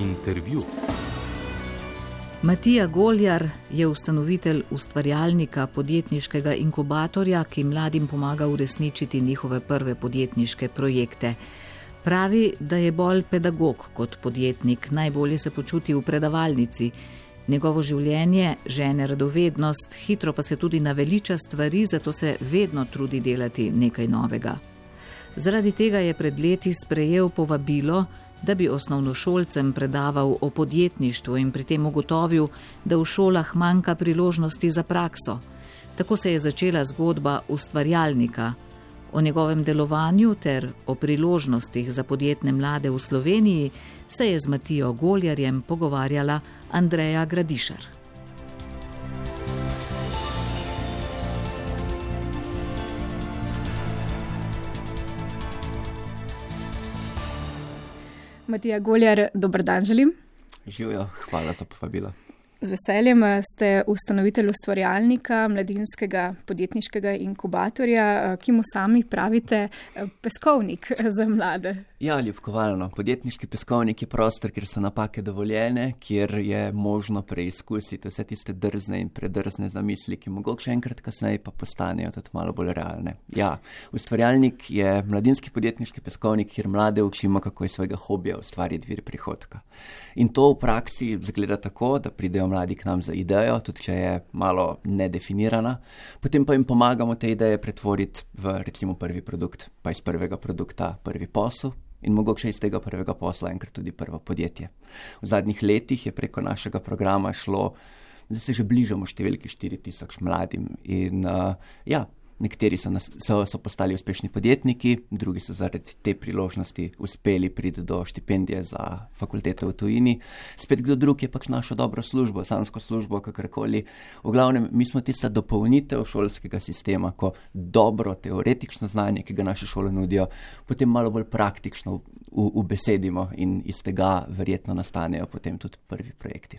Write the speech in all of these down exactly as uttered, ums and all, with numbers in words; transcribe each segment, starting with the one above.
Intervju. Matija Goljar je ustanovitelj ustvarjalnika podjetniškega inkubatorja, ki mladim pomaga uresničiti njihove prve podjetniške projekte. Pravi, da je bolj pedagog kot podjetnik, najbolje se počuti v predavalnici. Njegovo življenje žene radovednost, hitro pa se tudi naveliča stvari, zato se vedno trudi delati nekaj novega. Zaradi tega je pred leti sprejel povabilo, da bi osnovnošolcem predaval o podjetništvu in pri tem ugotovil, da v šolah manjka priložnosti za prakso. Tako se je začela zgodba ustvarjalnika. O njegovem delovanju ter o priložnostih za podjetne mlade v Sloveniji se je z Matijo Goljarjem pogovarjala Andreja Gradišar. Matija Goljar, dober dan želim. Živijo, hvala za povabilo. Z veseljem ste ustanovitelj ustvarjalnika, mladinskega podjetniškega inkubatorja, ki mu sami pravite peskovnik za mlade. Ja, ljubkovalno. Podjetniški peskovnik je prostor, kjer so napake dovoljene, kjer je možno preizkusiti vse tiste drzne in predrzne zamisli, ki mogoče enkrat kasneje pa postanejo tudi malo bolj realne. Ja, ustvarjalnik je mladinski podjetniški peskovnik, kjer mlade učimo, kako iz svojega hobija ustvariti vir prihodka. In to v praksi zgleda tako, da pridejo mladi k nam za idejo, tudi če je malo nedefinirana, potem pa jim pomagamo te ideje pretvoriti v recimo prvi produkt, pa iz prvega produkta prvi posel in mogoče iz tega prvega posla enkrat tudi prvo podjetje. V zadnjih letih je preko našega programa šlo, da se že bližamo številki štiri tisoč mladim in uh, ja, nekateri so, nas, so, so postali uspešni podjetniki, drugi so zaradi te priložnosti uspeli priti do štipendije za fakulteto v tujini. Spet kdo drug je pač našo dobro službo, sansko službo, kakorkoli. V glavnem, mi smo tista dopolnitev šolskega sistema, ko dobro teoretično znanje, ki ga naše šole nudijo, potem malo bolj praktično ubesedimo in iz tega verjetno nastanejo potem tudi prvi projekti.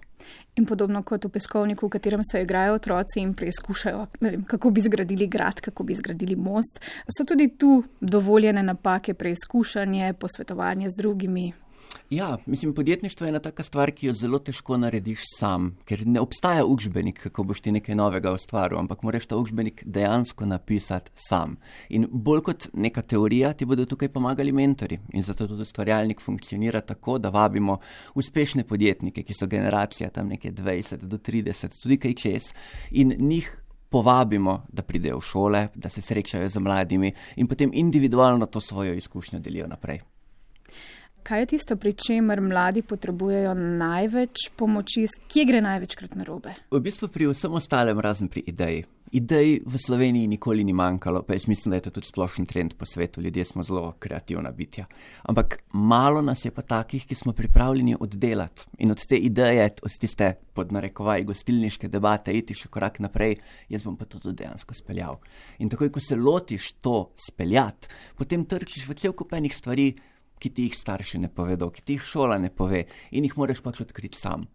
In podobno kot v peskovniku, v katerem se igrajo otroci in preizkušajo, ne vem, kako bi zgradili grad, kako bi zgradili most, so tudi tu dovoljene napake, preizkušanje, posvetovanje z drugimi. Ja, mislim, podjetništvo je ena taka stvar, ki jo zelo težko narediš sam, ker ne obstaja učbenik, kako boš ti nekaj novega ustvaril, ampak moraš ta učbenik dejansko napisati sam. In bolj kot neka teorija ti bodo tukaj pomagali mentori in zato tudi ustvarjalnik funkcionira tako, da vabimo uspešne podjetnike, ki so generacija tam nekje dvajset do trideset, tudi kaj čez, in njih povabimo, da pridejo v šole, da se srečajo z mladimi in potem individualno to svojo izkušnjo delijo naprej. Kaj je tisto, pri čemer mladi potrebujejo največ pomoči? Kje gre največkrat narobe? V bistvu pri vsem ostalem, razen pri ideji. Idej v Sloveniji nikoli ni manjkalo, pa jaz mislim, da je to tudi splošen trend po svetu. Ljudje smo zelo kreativna bitja. Ampak malo nas je pa takih, ki smo pripravljeni oddelati. In od te ideje, od tiste pod narekovaj gostilniške debate, iti še korak naprej, jaz bom pa to tudi dejansko speljal. In takoj, ko se lotiš to speljati, potem trčiš v cel kup enih stvari, ki ti jih starši ne povedo, ki ti jih šola ne pove in jih moraš pač odkriti sam.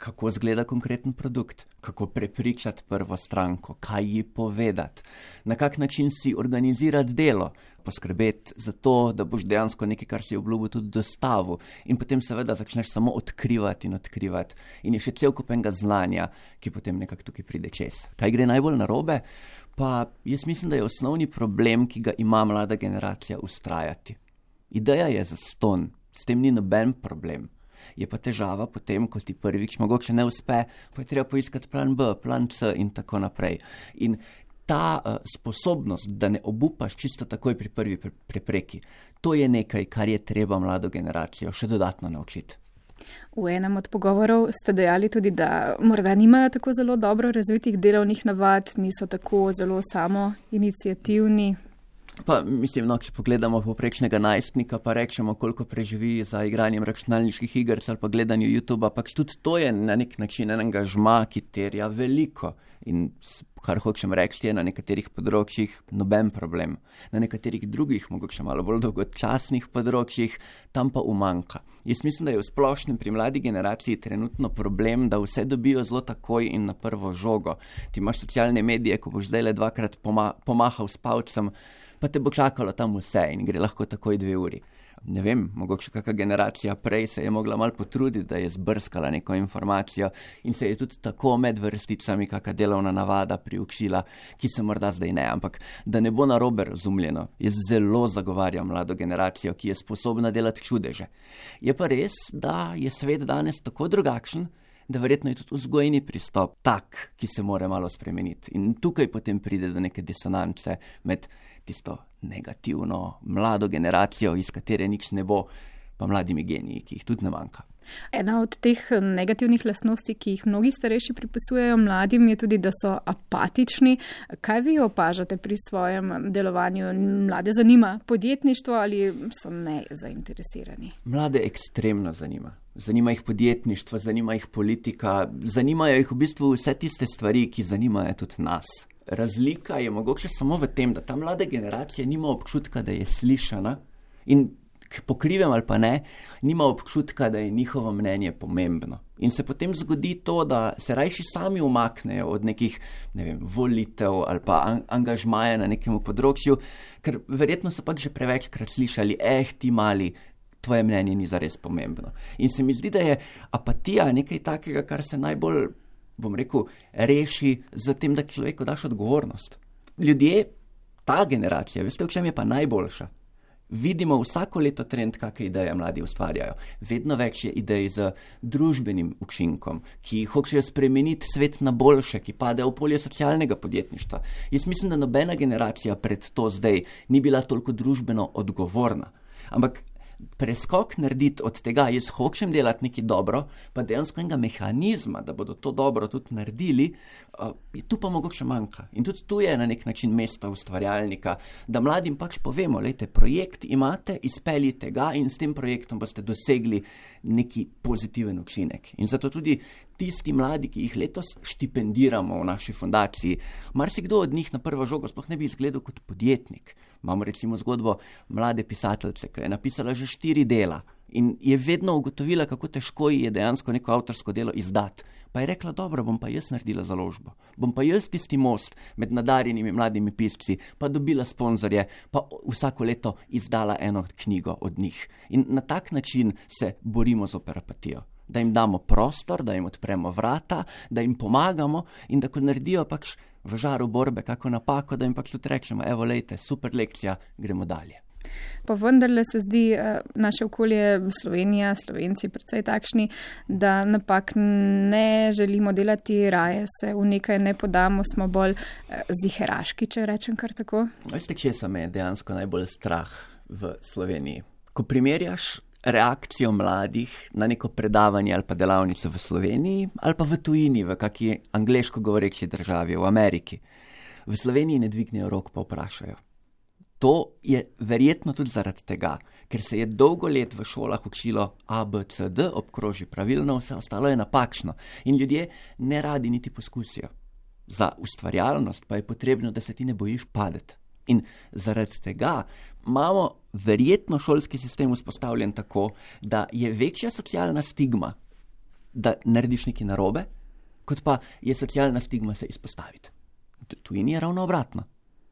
Kako izgleda konkreten produkt, kako prepričati prvo stranko, kaj ji povedati, na kak način si organizirati delo, poskrbeti za to, da boš dejansko nekaj, kar si obljubil, tudi dostavil in potem seveda začneš samo odkrivati in odkrivati in je še cel kup enega znanja, ki potem nekako tukaj pride čez. Kaj gre najbolj narobe? Pa jaz mislim, da je osnovni problem, ki ga ima mlada generacija, ustrajati. Ideja je zastonj, s tem ni noben problem. Je pa težava potem, ko ti prvič mogoče ne uspe, pa je treba poiskati plan B, plan C in tako naprej. In ta uh, sposobnost, da ne obupaš čisto takoj pri prvi prepreki, to je nekaj, kar je treba mlado generacijo še dodatno naučiti. V enem od pogovorov ste dejali tudi, da morda nimajo tako zelo dobro razvitih delovnih navad, niso tako zelo samoiniciativni. Pa mislim, no, če pogledamo povprečnega najstnika, pa rečemo, koliko preživi za igranjem računalniških iger ali pa gledanju YouTubea, pač tudi to je na nek način en angažma, ki terja veliko. In kar hočem reči, je na nekaterih področjih noben problem. Na nekaterih drugih, mogoče malo bolj dolgočasnih področjih, tam pa umanjka. Jaz mislim, da je v splošnem pri mladi generaciji trenutno problem, da vse dobijo zelo takoj in na prvo žogo. Ti imaš socialne medije, ko boš zdaj le dvakrat poma- pomahal s palcem, pa te bo čakalo tam vse in gre lahko takoj dve uri. ne vem, mogoče kakšna generacija prej se je mogla malo potruditi, da je zbrskala neko informacijo in se je tudi tako med vrsticami kakšna delovna navada priučila, ki se morda zdaj ne, ampak da ne bo narobe razumljeno, jaz zelo zagovarjam mlado generacijo, ki je sposobna delati čudeže. Je pa res, da je svet danes tako drugačen, da verjetno je tudi vzgojni pristop tak, ki se mora malo spremeniti. In tukaj potem pride do neke disonance med tisto negativno mlado generacijo, iz katere nič ne bo, pa mladimi geniji, ki jih tudi ne manjka. Ena od teh negativnih lastnosti, ki jih mnogi starejši pripisujejo mladim, je tudi, da so apatični. Kaj vi opažate pri svojem delovanju? Mlade zanima podjetništvo ali so nezainteresirani? Mlade ekstremno zanima. Zanima jih podjetništvo, zanima jih politika, zanimajo jih v bistvu vse tiste stvari, ki zanimajo tudi nas. Razlika je mogoče samo v tem, da ta mlada generacija nima občutka, da je slišana in pokrivem ali pa ne, nima občutka, da je njihovo mnenje pomembno. In se potem zgodi to, da se rajši sami umaknejo od nekih, ne vem, volitev ali pa an- angažmaja na nekem področju, ker verjetno so pač že prevečkrat slišali, eh, ti mali, tvoje mnenje ni zares pomembno. In se mi zdi, da je apatija nekaj takega, kar se najbolj, bom rekel, reši z tem, da človeku daš odgovornost. Ljudje, ta generacija, veste, v čem je pa najboljša? Vidimo vsako leto trend, kakšne ideje mladi ustvarjajo. Vedno več je idej z družbenim učinkom, ki hočejo spremeniti svet na boljše, ki padejo v polje socialnega podjetništva. Jaz mislim, da nobena generacija pred to zdaj ni bila toliko družbeno odgovorna. Ampak preskok narediti od tega, jaz hočem delati nekaj dobro, pa dejansko enega mehanizma, da bodo to dobro tudi naredili, uh, tu pa mogoče manjka. In tudi tu je na nek način mesto ustvarjalnika, da mladim pač povemo, lejte, projekt imate, izpeljite ga in s tem projektom boste dosegli neki pozitiven učinek. In zato tudi tisti mladi, ki jih letos štipendiramo v naši fundaciji, marsikdo od njih na prvo žogo sploh ne bi izgledal kot podjetnik. Imamo recimo zgodbo mlade pisateljice, ki je napisala že štiri dela in je vedno ugotovila, kako težko ji je dejansko neko avtorsko delo izdati. Pa je rekla, dobro, bom pa jaz naredila založbo. Bom pa jaz tisti most med nadarjenimi mladimi pisci, pa dobila sponzorje, pa vsako leto izdala eno knjigo od njih. In na tak način se borimo z apatijo. Da jim damo prostor, da jim odpremo vrata, da jim pomagamo in da ko naredijo pač v žaru borbe kako napako, da jim pač tudi rečemo, evo lejte, super lekcija, gremo dalje. Pa vendarle se zdi naše okolje, Slovenija, Slovenci predvsej takšni, da napak ne želimo delati, raje se v nekaj ne podamo, smo bolj ziheraški, če rečem kar tako. Veste, kje se me je dejansko najbolj strah v Sloveniji? Ko primerjaš reakcijo mladih na neko predavanje ali pa delavnico v Sloveniji ali pa v tujini, v kaki angleško govoreči državi, v Ameriki. V Sloveniji ne dvignejo rok, pa vprašajo. To je verjetno tudi zaradi tega, ker se je dolgo let v šolah učilo A, B, C, D, obkroži pravilno, vse ostalo je napačno in ljudje ne radi niti poskusijo. Za ustvarjalnost pa je potrebno, da se ti ne bojiš padeti. In zaradi tega imamo verjetno šolski sistem vzpostavljen tako, da je večja socialna stigma, da narediš nekaj narobe, kot pa je socialna stigma se izpostaviti. Tujini je ravno obratno.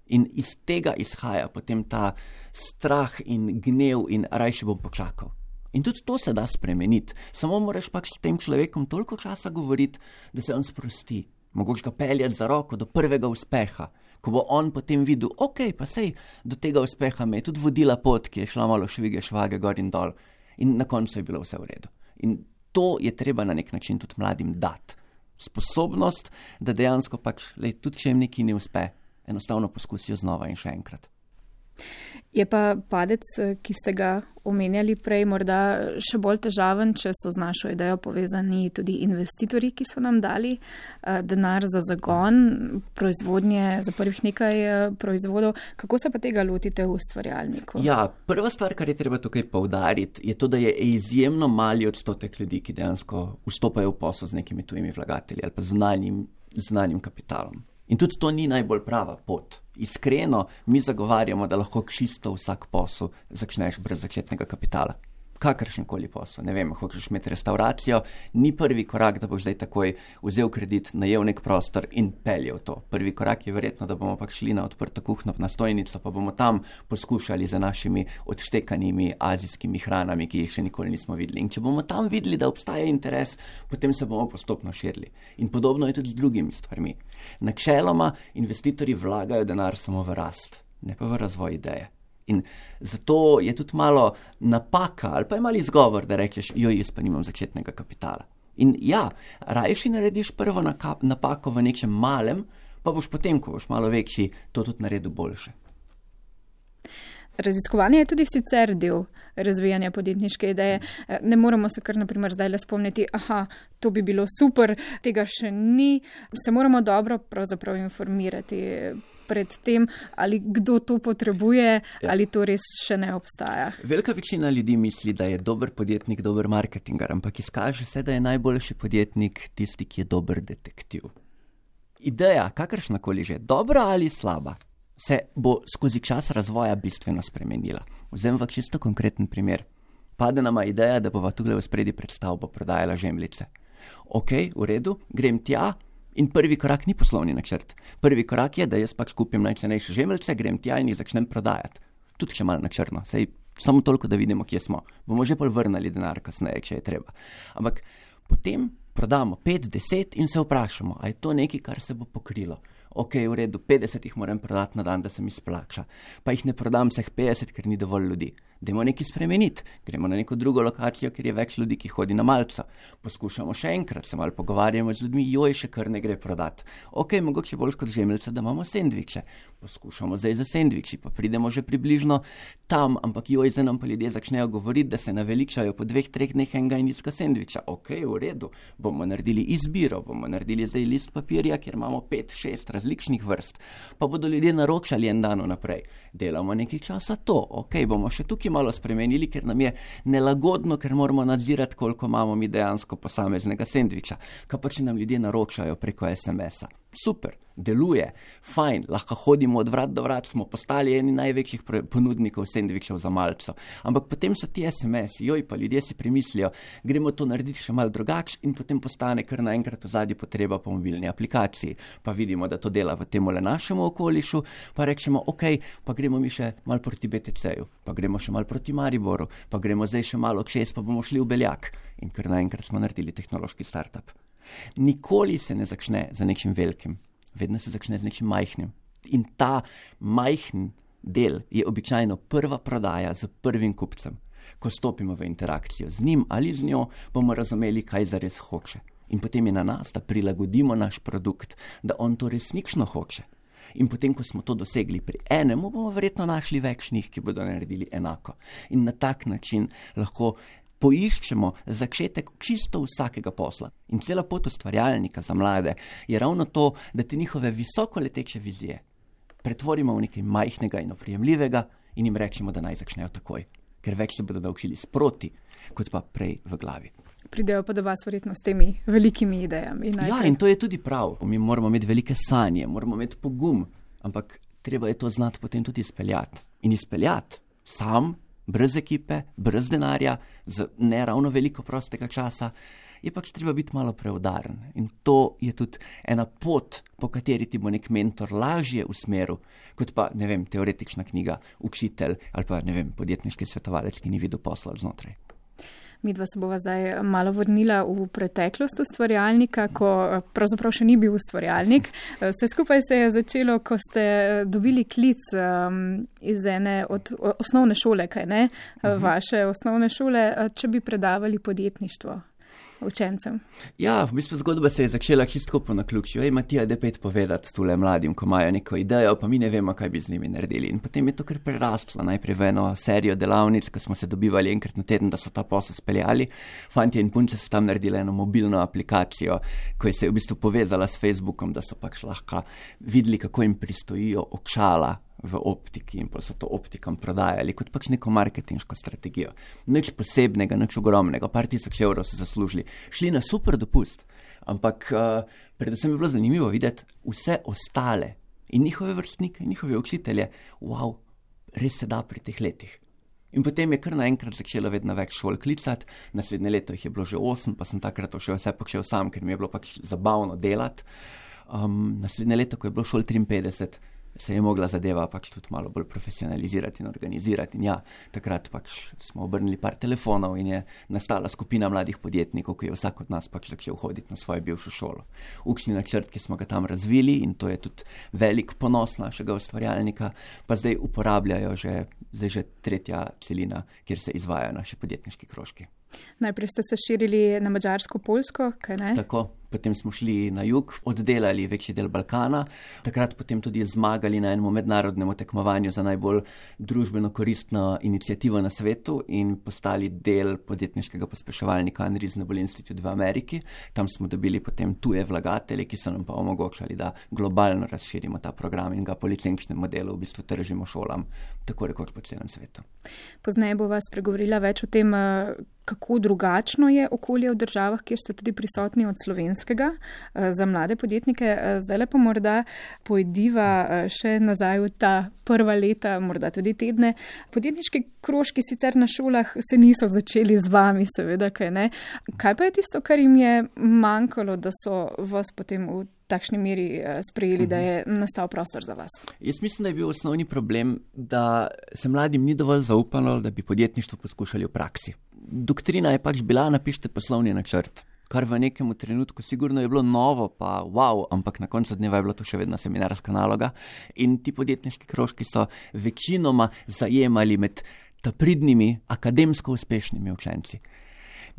In iz tega izhaja potem ta strah in gnev in rajši bom počakal. In tudi to se da spremeniti. Samo moraš pač s tem človekom toliko časa govoriti, da se on sprosti. Mogoče ga peljati za roko do prvega uspeha, ko bo on potem videl, ok, pa sej, do tega uspeha me je tudi vodila pot, ki je šla malo švige, švage, gor in dol. In na koncu je bilo vse v redu. In to je treba na nek način tudi mladim dati. Sposobnost, da dejansko pač, lej, tudi če jim nekaj ne uspe, enostavno poskusijo znova in še enkrat. Je pa padec, ki ste ga omenjali prej, morda še bolj težaven, če so z našo idejo povezani tudi investitorji, ki so nam dali denar za zagon proizvodnje, za prvih nekaj proizvodov. Kako se pa tega lotite v ustvarjalniku? Ja, prva stvar, kar je treba tukaj poudariti, je to, da je izjemno mali odstotek ljudi, ki dejansko vstopajo v posel z nekimi tujimi vlagatelji ali pa znanim, znanim kapitalom. In tudi to ni najbolj prava pot. Iskreno, mi zagovarjamo, da lahko čisto vsak posel začneš brez začetnega kapitala. kakršenkoli posel, ne vem, hočeš imeti restauracijo, ni prvi korak, da boš zdaj takoj vzel kredit, najel nek prostor in peljal to. Prvi korak je verjetno, da bomo pač šli na odprto kuhno, na stojnico, pa bomo tam poskušali za našimi odštekanimi azijskimi hranami, ki jih še nikoli nismo videli. In če bomo tam videli, da obstaja interes, potem se bomo postopno širili. In podobno je tudi z drugimi stvarmi. Načeloma investitorji vlagajo denar samo v rast, ne pa v razvoj ideje. In zato je tudi malo napaka ali pa je malo izgovor, da rečeš, joj, jaz pa nimam začetnega kapitala. In ja, rajši narediš prvo napako v nečem malem, pa boš potem, ko boš malo večji, to tudi naredil boljše. Raziskovanje je tudi sicer del razvijanja podjetniške ideje. Ne moramo se kar naprimer zdaj le spomniti, aha, to bi bilo super, tega še ni. Se moramo dobro pravzaprav informirati pred tem, ali kdo to potrebuje, ja. Ali to res še ne obstaja. Velika večina ljudi misli, da je dober podjetnik dober marketingar, ampak izkaže se, da je najboljši podjetnik tisti, ki je dober detektiv. Ideja, kakršnakoli že, dobra ali slaba, se bo skozi čas razvoja bistveno spremenila. Vzem v čisto konkreten primer. Pade nama ideja, da bova tukaj v spredi pred stavbo prodajala žemljice. Ok, v redu, grem tja in prvi korak ni poslovni načrt. Prvi korak je, da jaz pač kupim najcenejše žemljice, grem tja in jih začnem prodajati. Tudi še malo na črno, sej samo toliko, da vidimo, kje smo. Bomo že pol vrnali denar kasneje, če je treba. Ampak potem prodamo pet, deset in se vprašamo, a je to nekaj, kar se bo pokrilo. Ok, v redu, petdeset jih moram prodati na dan, da se mi splača. Pa jih ne prodam vseh petdeset, ker ni dovolj ljudi. Dajmo nekaj spremeniti. Gremo na neko drugo lokacijo, kjer je več ljudi, ki hodi na malco. Poskušamo še enkrat, se malo pogovarjamo z ljudmi, joj, še kar ne gre prodati. Ok, mogoče bolj kot žemljice, da imamo sendviče. Poskušamo zdaj za sendviči, pa pridemo že približno tam, ampak joj, zdaj nam pa ljudje začnejo govoriti, da se naveličajo po dveh, treh dneh enega in iska sendviča. Ok, v redu, bomo naredili izbiro, bomo naredili zdaj list papirja, kjer imamo pet, šest različnih vrst, pa bodo ljudje naročali en dan naprej. Delamo nekaj časa to, ok, bomo še tukaj malo spremenili, ker nam je nelagodno, ker moramo nadzirati, koliko imamo mi dejansko posameznega sendviča. Kaj pa, če nam ljudje naročajo preko es em es-a? Super, deluje, fajn, lahko hodimo od vrat do vrat, smo postali eni največjih ponudnikov sendvičev za malco. Ampak potem so ti es em es, joj, pa ljudje si premislijo, gremo to narediti še malo drugače in potem postane kar naenkrat v zadnji potreba po mobilni aplikaciji. Pa vidimo, da to dela v tem le našemu okolišu, pa rečemo, ok, pa gremo mi še malo proti be te ce-ju, pa gremo še malo proti Mariboru, pa gremo zdaj še malo k šest, pa bomo šli v Beljak. In kar naenkrat smo naredili tehnološki startup. Nikoli se ne začne za nečim velikim, vedno se začne z nečim majhnim. In ta majhen del je običajno prva prodaja z prvim kupcem. Ko stopimo v interakcijo z njim ali z njo, bomo razumeli, kaj zares hoče. In potem je na nas, da prilagodimo naš produkt, da on to resnično hoče. In potem, ko smo to dosegli pri enemu, bomo verjetno našli več njih, ki bodo naredili enako. In na tak način lahko poiščemo začetek čisto vsakega posla. In cela pot ustvarjalnika za mlade je ravno to, da te njihove visoko leteče vizije pretvorimo v nekaj majhnega in oprijemljivega in jim rečemo, da naj začnejo takoj. Ker več se bodo naučili sproti, kot pa prej v glavi. Pridejo pa do vas verjetno s temi velikimi idejami. Najprej. Ja, in to je tudi prav. Mi moramo imeti velike sanje, moramo imeti pogum, ampak treba je to znati potem tudi izpeljati. In izpeljati sam, brez ekipe, brez denarja, z ne ravno veliko prostega časa, je pač treba biti malo preudaren. In to je tudi ena pot, po kateri ti bo nek mentor lažje usmeril, kot pa, ne vem, teoretična knjiga, učitelj ali pa, ne vem, podjetniški svetovalec, ki ni videl posla znotraj. Midva se bova zdaj malo vrnila v preteklost ustvarjalnika, ko pravzaprav še ni bil ustvarjalnik. Vse skupaj se je začelo, ko ste dobili klic um, iz ene od osnovne šole, kaj ne? Uh-huh. Vaše osnovne šole, če bi predavali podjetništvo učencem. Ja, v bistvu zgodba se je začela čisto po naključju. Ej, Matija, da pet povedati tule mladim, ko imajo neko idejo, pa mi ne vemo, kaj bi z njimi naredili. In potem je to kar prerastlo. Najprej v eno serijo delavnic, ko smo se dobivali enkrat na teden, da so ta posel speljali. Fantje in punce so tam naredili eno mobilno aplikacijo, ko je se v bistvu povezala s Facebookom, da so pač lahko videli, kako jim pristojijo očala v optiki in pa so to optikam prodajali kot pač neko marketinško strategijo. Nič posebnega, nič ogromnega, par tisoč evrov so zaslužili. Šli na super dopust, ampak uh, predvsem je bilo zanimivo videti vse ostale in njihove vrstnike, in njihove učitelje. Wow, res se da pri teh letih. In potem je kar naenkrat začelo vedno več šol klicati, naslednje leto jih je bilo že osem, pa sem takrat to še vse počel sam, ker mi je bilo pač zabavno delati. Um, naslednje leto, ko je bilo šol triinpetdeset, se je mogla zadeva pač tudi malo bolj profesionalizirati in organizirati. In ja, takrat pač smo obrnili par telefonov in je nastala skupina mladih podjetnikov, ki je vsak od nas pač začel hoditi na svojo bivšo šolo. Učni načrt, ki smo ga tam razvili, in to je tudi velik ponos našega ustvarjalnika, pa zdaj uporabljajo že, zdaj že tretja celina, kjer se izvajajo naši podjetniški krožki. Najprej ste se širili na Madžarsko, Poljsko, kaj ne? Tako, potem smo šli na jug, oddelali večji del Balkana, takrat potem tudi zmagali na enem mednarodnem tekmovanju za najbolj družbeno koristno inicijativo na svetu in postali del podjetniškega pospeševalnika Unreasonable Institute v Ameriki. Tam smo dobili potem tuje vlagatelje, ki so nam pa omogočali, da globalno razširimo ta program in ga po licenčnem modelu v bistvu tržimo šolam, tako rekoč po celem svetu. Pozneje bo vas pregovorila več o tem, kako drugačno je okolje v državah, kjer ste tudi prisotni od slovenskega za mlade podjetnike. Zdaj le pa morda pojdiva še nazaj v ta prva leta, morda tudi tedne. Podjetniški krožki sicer na šolah se niso začeli z vami, seveda, kaj ne. Kaj pa je tisto, kar jim je manjkalo, da so vas potem v takšni meri sprejeli, da je nastal prostor za vas? Jaz mislim, da je bil osnovni problem, da se mladim ni dovolj zaupalo, da bi podjetništvo poskušali v praksi. Doktrina je pač bila, napišite poslovni načrt, kar v nekem trenutku sigurno je bilo novo, pa wow, ampak na koncu dneva je bilo to še vedno seminarska naloga in ti podjetniški krožki so večinoma zajemali med pridnimi, akademsko uspešnimi učenci.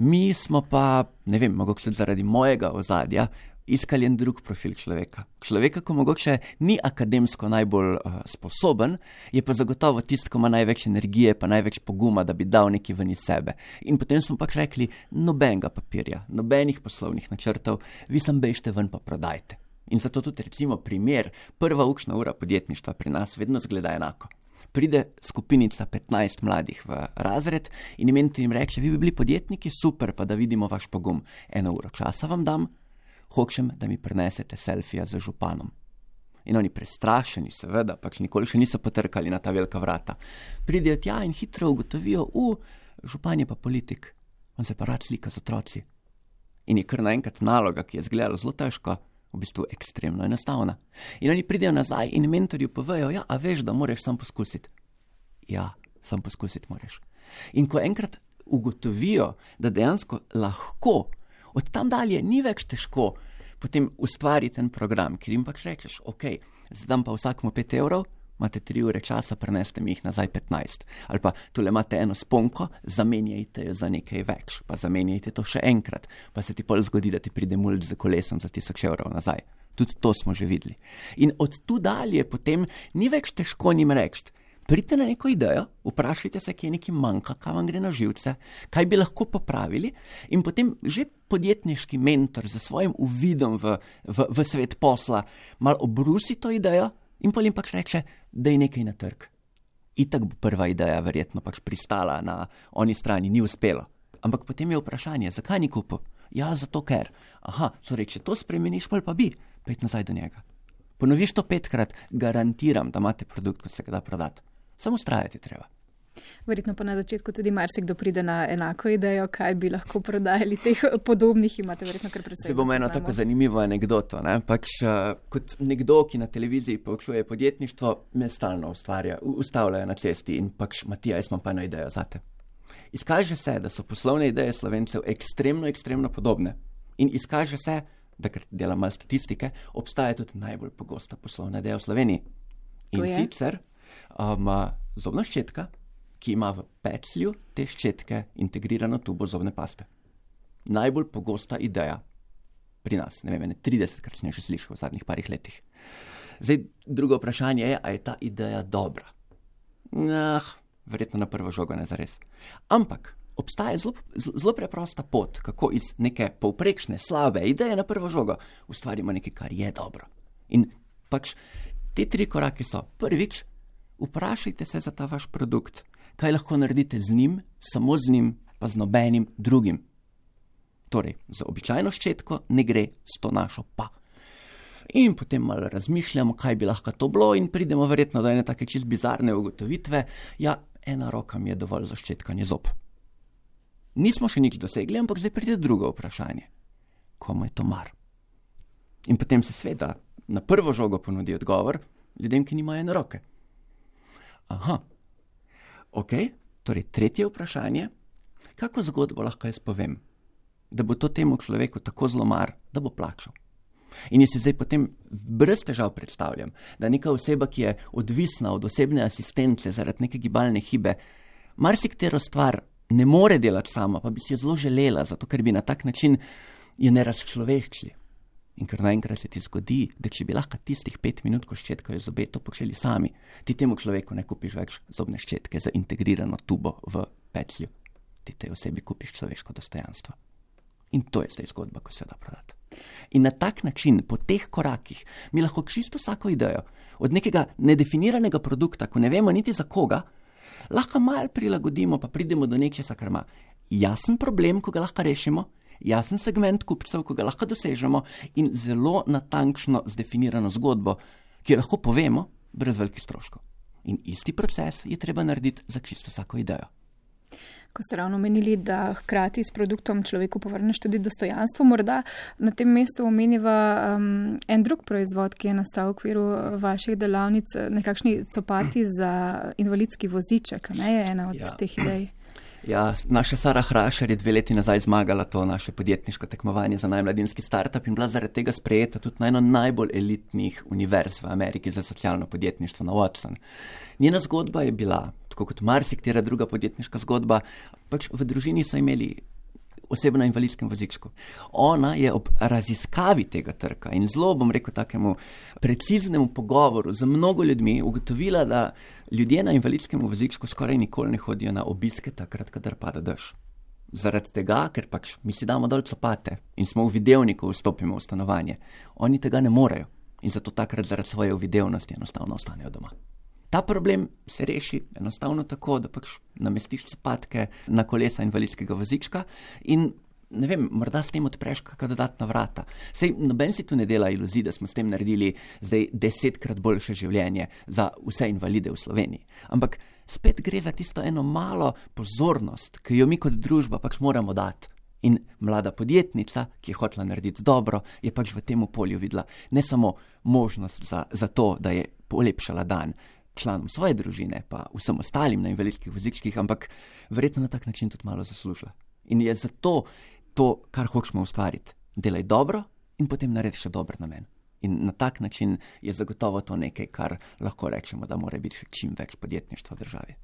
Mi smo pa, ne vem, mogoče zaradi mojega ozadja, iskali en drug profil človeka. Človeka, ko mogoče ni akademsko najbolj uh, sposoben, je pa zagotovo tist, ko ima največ energije, pa največ poguma, da bi dal nekaj ven iz sebe. In potem smo pač rekli, nobenega papirja, nobenih poslovnih načrtov, vi sam bežte ven pa prodajte. In zato tudi recimo primer, prva učna ura podjetništva pri nas vedno zgleda enako. Pride skupinica petnajst mladih v razred in mentor jim reče, vi bi bili podjetniki, super, pa da vidimo vaš pogum. Eno uro časa vam dam, hočem, da mi prinesete selfija z županom. In oni prestrašeni, seveda, pač nikoli še niso potrkali na ta velika vrata. Pridejo tja in hitro ugotovijo, u, župan je pa politik, on se pa rad slika z otroci. In je kar naenkrat naloga, ki je izgledala zelo težko, v bistvu ekstremno enostavna. In oni pridejo nazaj in mentorju povejo, ja, a veš, da moraš sam poskusiti. Ja, sam poskusiti moraš. In ko enkrat ugotovijo, da dejansko lahko, od tam dalje ni več težko potem ustvariti en program, ker jim pač rečeš, ok, zdaj dam pa vsakmu pet evrov, imate tri ure časa, preneste mi jih nazaj petnajst. Ali pa tule imate eno sponko, zamenjajte jo za nekaj več, pa zamenjajte to še enkrat, pa se ti pol zgodi, da ti pride mulj z kolesom za tisoč evrov nazaj. Tudi to smo že videli. In od tu dalje potem ni več težko njim reči, pridite na neko idejo, vprašajte se, kje nekaj manjka, kaj vam gre na živce, kaj bi lahko popravili in potem že podjetniški mentor za svojim uvidom v, v, v svet posla malo obrusi to idejo in potem pač reče, da je nekaj na trg. Itak bo prva ideja verjetno pač pristala na oni strani, ni uspelo. Ampak potem je vprašanje, zakaj ni kupil? Ja, zato ker. Aha, so reče, to spremeniš, pol pa bi, pet nazaj do njega. Ponoviš to petkrat, garantiram, da imate produkt, ko se ga da prodati. Samo ustrajati treba. Verjetno pa na začetku tudi marsikdo pride na enako idejo, kaj bi lahko prodajali teh podobnih, imate verjetno kar precej. Se bom eno tako zanimivo anekdoto, ne? Pač uh, kot nekdo, ki na televiziji poučuje podjetništvo, me stalno ustvarja, ustavljajo na cesti in pač, Matija, jaz imam pa eno idejo zate. Izkaže se, da so poslovne ideje Slovencev ekstremno, ekstremno podobne in izkaže se, da ker delam malo statistike, obstaja tudi najbolj pogosta poslovna ideja v Sloveniji. In sicer Um, zobna ščetka, ki ima v peclju te ščetke integrirano tubo zobne paste. Najbolj pogosta ideja pri nas, ne vem, tridesetkrat sem jo že slišal v zadnjih parih letih. Zdaj, drugo vprašanje je, a je ta ideja dobra? Nah, verjetno na prvo žogo ne zares. Ampak obstaja zelo, zelo preprosta pot, kako iz neke povprečne, slabe ideje na prvo žogo ustvarimo nekaj, kar je dobro. In pač te tri korake so, prvič, vprašajte se za ta vaš produkt, kaj lahko naredite z njim, samo z njim, pa z nobenim drugim. Torej, za običajno ščetko ne gre, s to našo pa. In potem malo razmišljamo, kaj bi lahko to bilo in pridemo verjetno do ene take čist bizarne ugotovitve. Ja, ena roka mi je dovolj za ščetkanje zob. Nismo še nič dosegli, ampak zdaj pride drugo vprašanje. Komu je to mar? In potem se sveda na prvo žogo ponudi odgovor ljudem, ki nimajo ene roke. Aha, ok, torej tretje vprašanje, kako zgodbo lahko jaz povem, da bo to temu človeku tako zelo mar, da bo plačal. In jaz si zdaj potem brez težav predstavljam, da neka oseba, ki je odvisna od osebne asistence zaradi neke gibalne hibe, marsikatero stvar ne more delati sama, pa bi si jo zelo želela, zato ker bi na tak način jo ne razčloveščili. In ker naenkrat se ti zgodi, da če bi lahko tistih pet minut, ko ščetkajo zobe, to počeli sami, ti temu človeku ne kupiš več zobne ščetke za integrirano tubo v peclju. Ti tej osebi kupiš človeško dostojanstvo. In to je zdaj zgodba, ko se da prodati. In na tak način, po teh korakih, mi lahko čisto vsako idejo, od nekega nedefiniranega produkta, ko ne vemo niti za koga, lahko malo prilagodimo, pa pridemo do nečesa, kar ima jasen problem, ko ga lahko rešimo, jasen segment kupcev, ko ga lahko dosežemo in zelo natančno zdefinirano zgodbo, ki jo lahko povemo brez velikih stroškov. In isti proces je treba narediti za čisto vsako idejo. Ko ste ravno omenili, da hkrati s produktom človeku povrneš tudi dostojanstvo, morda na tem mestu omeniva um, en drug proizvod, ki je nastal v okviru vaših delavnic, nekakšni copati za invalidski voziček, ne je ena od ja. teh idej. Ja, naša Sara Hrašar je dve leti nazaj zmagala to naše podjetniško tekmovanje za najmladinski startup in bila zaradi tega sprejeta tudi na eno najbolj elitnih univerz v Ameriki za socialno podjetništvo na Watson. Njena zgodba je bila, tako kot marsikatera druga podjetniška zgodba, pač v družini so imeli osebo na invalidskem vozičku. Ona je ob raziskavi tega trga in zelo, bom rekel, takemu preciznemu pogovoru z mnogo ljudmi ugotovila, da ljudje na invalidskem vozičku skoraj nikoli ne hodijo na obiske takrat, kadar pada dež. Zaradi tega, ker pač mi si damo dol copate in smo v videvniku, vstopimo v stanovanje. Oni tega ne morejo in zato takrat zaradi svoje uvidevnosti enostavno ostanejo doma. Ta problem se reši enostavno tako, da pač namestiš copatke na kolesa invalidskega vozička in, ne vem, morda s tem odpreš kakšna dodatna vrata. Sej noben si tu ne dela iluzij, da smo s tem naredili zdaj desetkrat boljše življenje za vse invalide v Sloveniji. Ampak spet gre za tisto eno malo pozornost, ki jo mi kot družba pač moramo dati. In mlada podjetnica, ki je hotela narediti dobro, je pač v tem polju videla ne samo možnost za, za to, da je polepšala dan članom svoje družine, pa vsem ostalim na invalidskih vozičkih, ampak verjetno na tak način tudi malo zaslužila. In je zato to, kar hočemo ustvariti. Delaj dobro in potem naredi še dober namen. In na tak način je zagotovo to nekaj, kar lahko rečemo, da mora biti še čim več podjetništva v državi.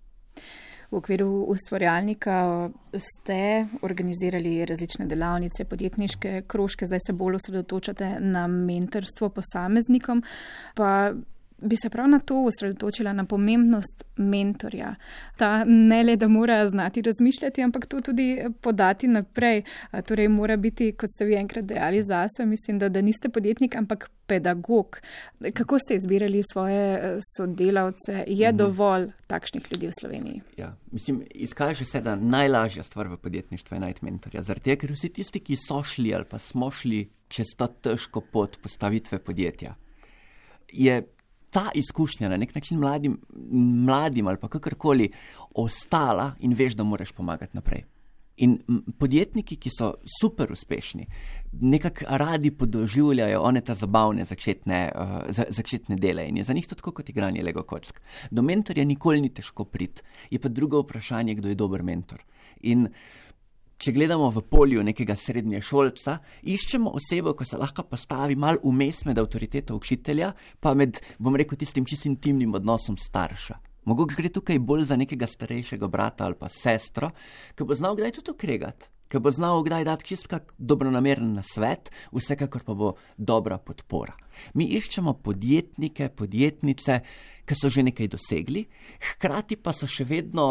V okviru ustvarjalnika ste organizirali različne delavnice, podjetniške krožke, zdaj se bolj osredotočate na mentorstvo posameznikom, pa bi se prav na to osredotočila, na pomembnost mentorja. Ta ne le, da mora znati razmišljati, ampak to tudi podati naprej. Torej mora biti, kot ste vi enkrat dejali zase, mislim, da, da niste podjetnik, ampak pedagog. Kako ste izbirali svoje sodelavce? Je mhm. dovolj takšnih ljudi v Sloveniji? Ja, mislim, izkaže se, da najlažja stvar v podjetništvu je najti mentorja. Zaradi tega, ker vsi tisti, ki so šli ali pa smo šli čez ta težko pot postavitve podjetja, je ta izkušnja na nek način mladim, mladim ali pa kakorkoli ostala in veš, da moraš pomagati naprej. In podjetniki, ki so super uspešni, nekako radi podoživljajo one ta zabavne začetne, uh, za, začetne dele in je za njih to tako kot igranje Lego kock. Do mentorja nikoli ni težko priti. Je pa drugo vprašanje, kdo je dober mentor. In če gledamo v polju nekega srednješolca, iščemo osebo, ko se lahko postavi malo vmes med avtoriteto učitelja, pa med, bom rekel, tistim čisto intimnim odnosom starša. Mogoče gre tukaj bolj za nekega starejšega brata ali pa sestro, ki bo znal kdaj tudi okregati, ki bo znal kdaj dati čisto kak dobronameren nasvet, vsekakor pa bo dobra podpora. Mi iščemo podjetnike, podjetnice, ki so že nekaj dosegli, hkrati pa so še vedno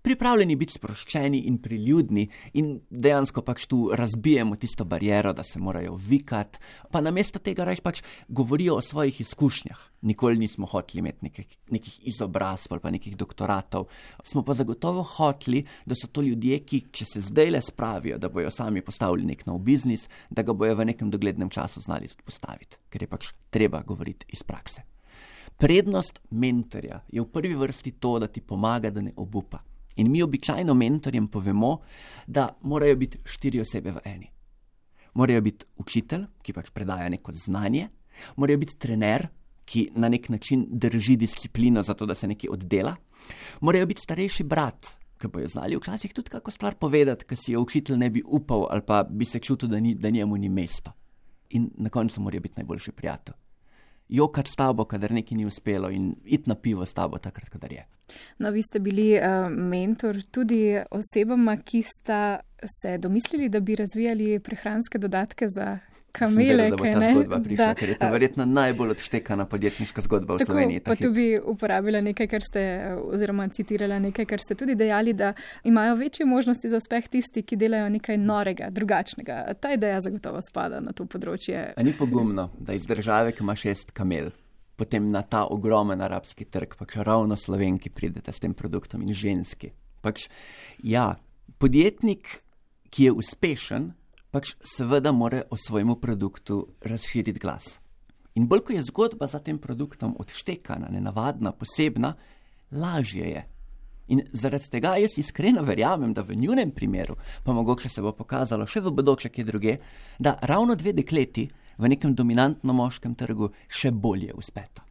pripravljeni biti sproščeni in priljudni in dejansko pač tu razbijemo tisto bariero, da se morajo vikati, pa namesto tega rajš pač govorijo o svojih izkušnjah. Nikoli nismo hoteli imeti nekih, nekih izobrazb ali pa nekih doktoratov, smo pa zagotovo hoteli, da so to ljudje, ki, če se zdaj le spravijo, da bojo sami postavili nek nov biznis, da ga bojo v nekem doglednem času znali tudi postaviti, ker je pač treba govoriti iz prakse. Prednost mentorja je v prvi vrsti to, da ti pomaga, da ne obupa. In mi običajno mentorjem povemo, da morajo biti štiri osebe v eni. Morajo biti učitelj, ki pač predaja neko znanje, morajo biti trener, ki na nek način drži disciplino za to, da se nekaj oddela, morajo biti starejši brat, ki bojo znali včasih tudi kako stvar povedati, ki si jo učitelj ne bi upal ali pa bi se čutil, da, ni, da njemu ni mesto. In na koncu morajo biti najboljši prijatelj. Jokati s tabo, kadar nekaj ni uspelo in iti na pivo s tabo takrat, kadar je. No, vi ste bili uh, mentor tudi osebama, ki sta se domislili, da bi razvijali prehranske dodatke za kamele. Sem vedel, da bo ta zgodba prišla, da, ker je to verjetno najbolj odštekana podjetniška zgodba v tako, Sloveniji. Pa tu bi uporabila nekaj, kar ste, oziroma citirala nekaj, kar ste tudi dejali, da imajo večje možnosti za uspeh tisti, ki delajo nekaj norega, drugačnega. Ta ideja zagotovo spada na to področje. A ni pogumno, da iz države, ki ima šest kamel, potem na ta ogromen arabski trg, pač ravno Slovenki pridete s tem produktom in ženski. Pač, ja, podjetnik, ki je uspešen, pač seveda mora o svojemu produktu razširiti glas. In bolj, ko je zgodba za tem produktom odštekana, nenavadna, posebna, lažje je. In zaradi tega jaz iskreno verjamem, da v njunem primeru, pa mogoče se bo pokazalo še v bodoče kje druge, da ravno dve dekleti v nekem dominantno moškem trgu še bolje uspeta.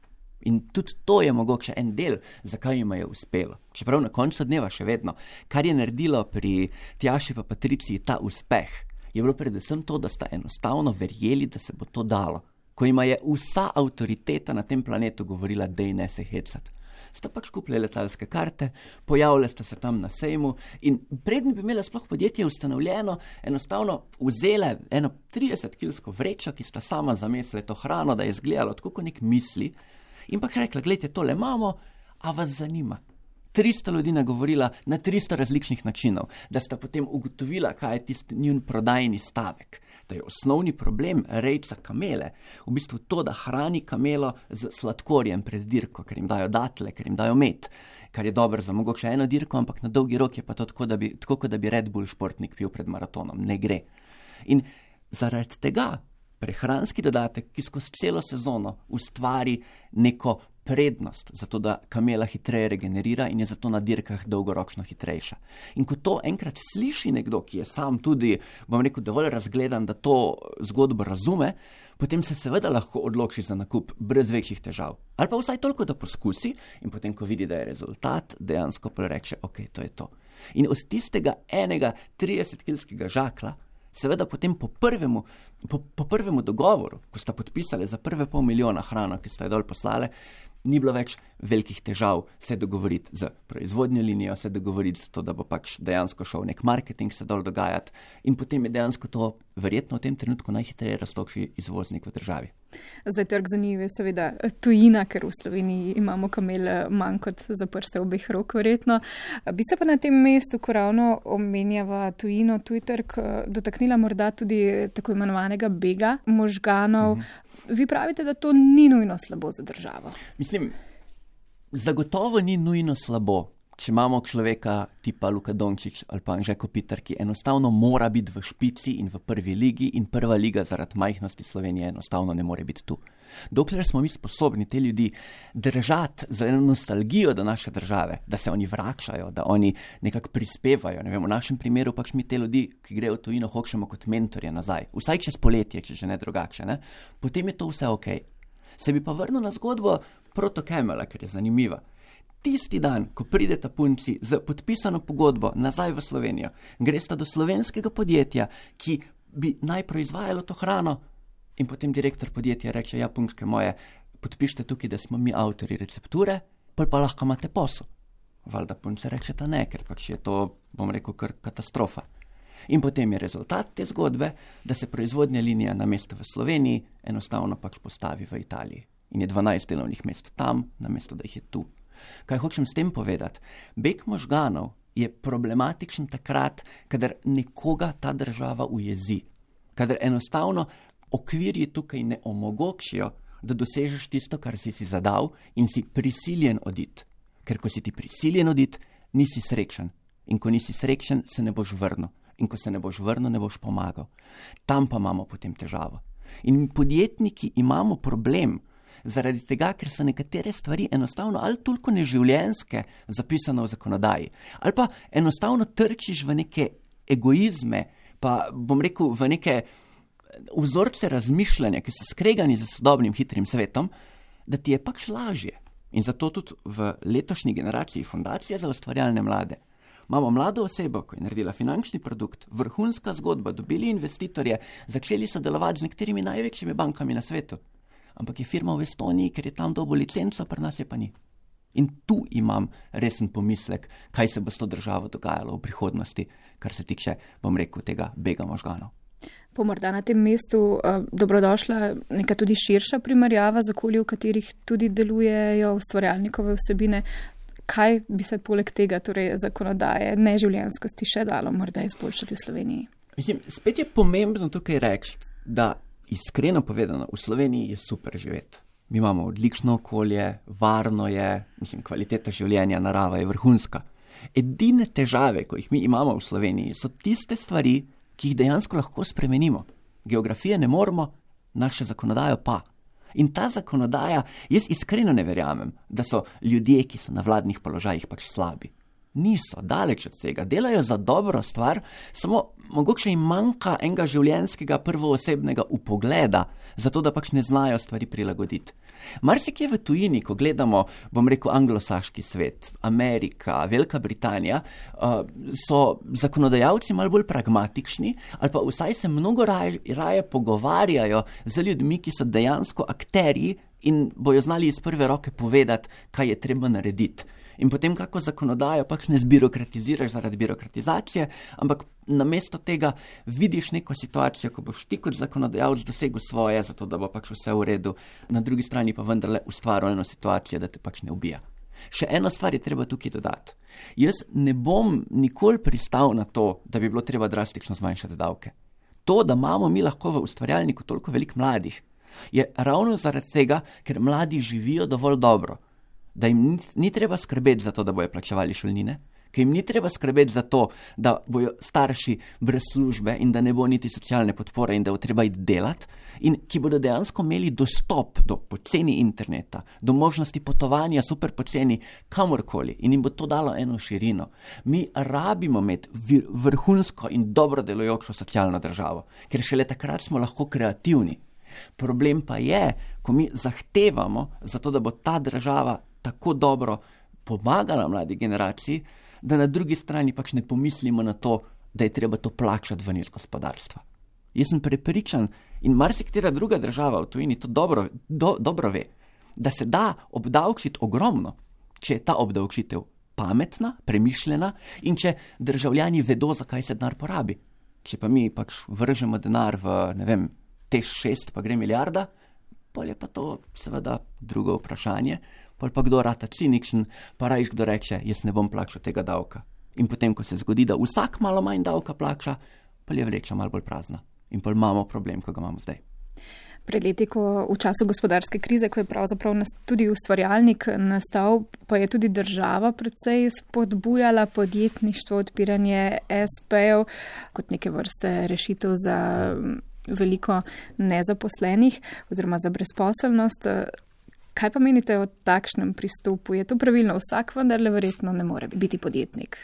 In tudi to je mogoče en del, zakaj jima je uspelo. Čeprav na koncu dneva še vedno, kar je naredilo pri Tjaši pa Patriciji ta uspeh, je bilo predvsem to, da sta enostavno verjeli, da se bo to dalo. Ko jima je vsa avtoriteta na tem planetu govorila, dej ne se hecati. Sta pač kupili letalske karte, pojavili sta se tam na sejmu in predn bi imela sploh podjetje ustanovljeno, enostavno vzele eno tridesetkilsko vrečo, ki sta sama zamesile to hrano, da je izgledalo tako kot nek misli, in pač rekla, gledajte, tole imamo, a vas zanima. tristo ljudi nagovorila na tristo različnih načinov, da sta potem ugotovila, kaj je tisti njun prodajni stavek. Da je osnovni problem rejca kamele v bistvu to, da hrani kamelo z sladkorjem pred dirko, ker jim dajo datle, ker jim dajo med, kar je dobro za mogoče eno dirko, ampak na dolgi rok je pa to tako, da bi, tako kot da bi Red Bull športnik pil pred maratonom. Ne gre. In zaradi tega prehranski dodatek, ki skozi celo sezono ustvari neko prednost, zato da kamela hitreje regenerira in je zato na dirkah dolgoročno hitrejša. In ko to enkrat sliši nekdo, ki je sam tudi, bom rekel, dovolj razgledan, da to zgodbo razume, potem se seveda lahko odloči za nakup brez večjih težav. Ali pa vsaj toliko, da poskusi in potem, ko vidi, da je rezultat, dejansko pa reče, ok, to je to. In od tistega enega tridesetkilskega žakla, seveda potem po prvemu, po, po prvemu dogovoru, ko sta podpisali za prve pol milijona hrano, ki sta jo dol poslale, ni bilo več velikih težav se dogovoriti z proizvodnjo linijo, se dogovoriti za to, da bo pač dejansko šel nek marketing se dol dogajati in potem je dejansko to verjetno v tem trenutku najhitreje rastoči izvoznik v državi. Zdaj trg za njih je seveda tujina, ker v Sloveniji imamo kamel manj kot za prste obeh rok verjetno. Bi se pa na tem mestu, ko ravno omenjava tujino, tuj trg, dotaknila morda tudi tako imenovanega bega možganov. Mhm. Vi pravite, da to ni nujno slabo za državo. Mislim, zagotovo ni nujno slabo, če imamo človeka tipa Luka Dončić ali pa Anže Kopitar, ki enostavno mora biti v špici in v prvi ligi in prva liga zaradi majhnosti Slovenije enostavno ne more biti tu. Dokler smo mi sposobni te ljudi držati za eno nostalgijo do naše države, da se oni vračajo, da oni nekako prispevajo, ne vem, v našem primeru pač mi te ljudi, ki grejo v tujino, hočemo kot mentorje nazaj, vsaj čez poletje, če že ne drugače, ne? Potem je to vse ok. Se bi pa vrnil na zgodbo Proto Camela, ker je zanimiva. Tisti dan, ko prideta punci z podpisano pogodbo nazaj v Slovenijo, gresta do slovenskega podjetja, ki bi naj proizvajalo to hrano, in potem direktor podjetja reče, ja, punčke moje, podpišite tukaj, da smo mi avtori recepture, pol pa lahko imate posel. Valjda punce rečeta ne, ker pač je to, bom rekel, kar katastrofa. In potem je rezultat te zgodbe, da se proizvodnja linija na mesto v Sloveniji enostavno pač postavi v Italiji. In je dvanajst delovnih mest tam, na mesto, da jih je tu. Kaj hočem s tem povedati? Beg možganov je problematičen takrat, kadar nekoga ta država ujezi. Kadar enostavno okvirji tukaj ne omogočijo, da dosežeš tisto, kar si si zadal in si prisiljen oditi. Ker ko si ti prisiljen oditi, nisi srečen. In ko nisi srečen, se ne boš vrnil. In ko se ne boš vrnil, ne boš pomagal. Tam pa imamo potem težavo. In podjetniki imamo problem, zaradi tega, ker so nekatere stvari enostavno ali toliko neživljenjske zapisane v zakonodaji, ali pa enostavno trčiš v neke egoizme, pa bom rekel v neke vzorce razmišljanja, ki so skregani z sodobnim hitrim svetom, da ti je pač lažje. In zato tudi v letošnji generaciji Fundacije za ustvarjalne mlade imamo mlado osebo, ko je naredila finančni produkt, vrhunska zgodba, dobili investitorje, začeli sodelovati z nekaterimi največjimi bankami na svetu. Ampak je firma v Estoniji, ker je tam dobil licenco, pri nas je pa ni. In tu imam resen pomislek, kaj se bo s to državo dogajalo v prihodnosti, kar se tiče, bom rekel, tega bega možganov. Po morda na tem mestu uh, dobrodošla neka tudi širša primerjava z okolji, v katerih tudi delujejo ustvarjalnikove vsebine. Kaj bi se poleg tega, torej zakonodaje, neživljenjskosti še dalo morda izboljšati v Sloveniji? Mislim, spet je pomembno tukaj reči, da iskreno povedano, v Sloveniji je super živeti. Mi imamo odlično okolje, varno je, mislim, kvaliteta življenja, narava je vrhunska. Edine težave, ko jih mi imamo v Sloveniji, so tiste stvari, ki jih dejansko lahko spremenimo. Geografije ne moremo, naše zakonodajo pa. In ta zakonodaja, jaz iskreno ne verjamem, da so ljudje, ki so na vladnih položajih, pač slabi. Niso, daleč od tega, delajo za dobro stvar, samo mogoče jim manjka enega življenjskega prvoosebnega upogleda, zato da pač ne znajo stvari prilagoditi. Marsikje v tujini, ko gledamo, bom rekel, anglosaški svet, Amerika, Velika Britanija, uh, so zakonodajalci malo bolj pragmatični, ali pa vsaj se mnogo raje, raje pogovarjajo z ljudmi, ki so dejansko akterji in bojo znali iz prve roke povedati, kaj je treba narediti. In potem kako zakonodajo pač ne zbirokratiziraš zaradi birokratizacije, ampak namesto tega vidiš neko situacijo, ko boš ti kot zakonodajalec dosegel svoje, zato da bo pač vse v redu, na drugi strani pa vendarle ustvaril eno situacijo, da te pač ne ubija. Še eno stvar je treba tukaj dodati. Jaz ne bom nikoli pristal na to, da bi bilo treba drastično zmanjšati davke. To, da imamo mi lahko v ustvarjalniku toliko veliko mladih, je ravno zaradi tega, ker mladi živijo dovolj dobro, da jim ni, ni treba skrbeti za to, da bojo plačevali šolnine, ker jim ni treba skrbeti za to, da bojo starši brez službe in da ne bo niti socialne podpore in da bo treba iti delati, in ki bodo dejansko imeli dostop do poceni interneta, do možnosti potovanja super poceni kamorkoli in jim bo to dalo eno širino. Mi rabimo imeti vrhunsko in dobro delujočo socialno državo, ker šele takrat smo lahko kreativni. Problem pa je, ko mi zahtevamo za to, da bo ta država tako dobro pomagala mladi generaciji, da na drugi strani pač ne pomislimo na to, da je treba to plačati ven iz gospodarstva. Jaz sem prepričan in marsikatera druga država v tujini to dobro, do, dobro ve, da se da obdavčiti ogromno, če je ta obdavčitev pametna, premišljena in če državljani vedo, zakaj se denar porabi. Če pa mi pač vržemo denar v, ne vem, T šest pa gre milijarda, pol je pa to seveda drugo vprašanje, pol pa kdo rata cinikšen, pa rajš kdo reče, jaz ne bom plačal tega davka. In potem, ko se zgodi, da vsak malo manj davka plača, pol je vreča malo bolj prazna. In pol imamo problem, ko ga imamo zdaj. Pred leti, ko v času gospodarske krize, ko je pravzaprav tudi ustvarjalnik nastal, pa je tudi država predvsej spodbujala podjetništvo, odpiranje es pejev kot neke vrste rešitev za veliko nezaposlenih oziroma za brezposelnost. Kaj pa menite o takšnem pristopu? Je to pravilno? Vsak vendarle verjetno ne more biti podjetnik.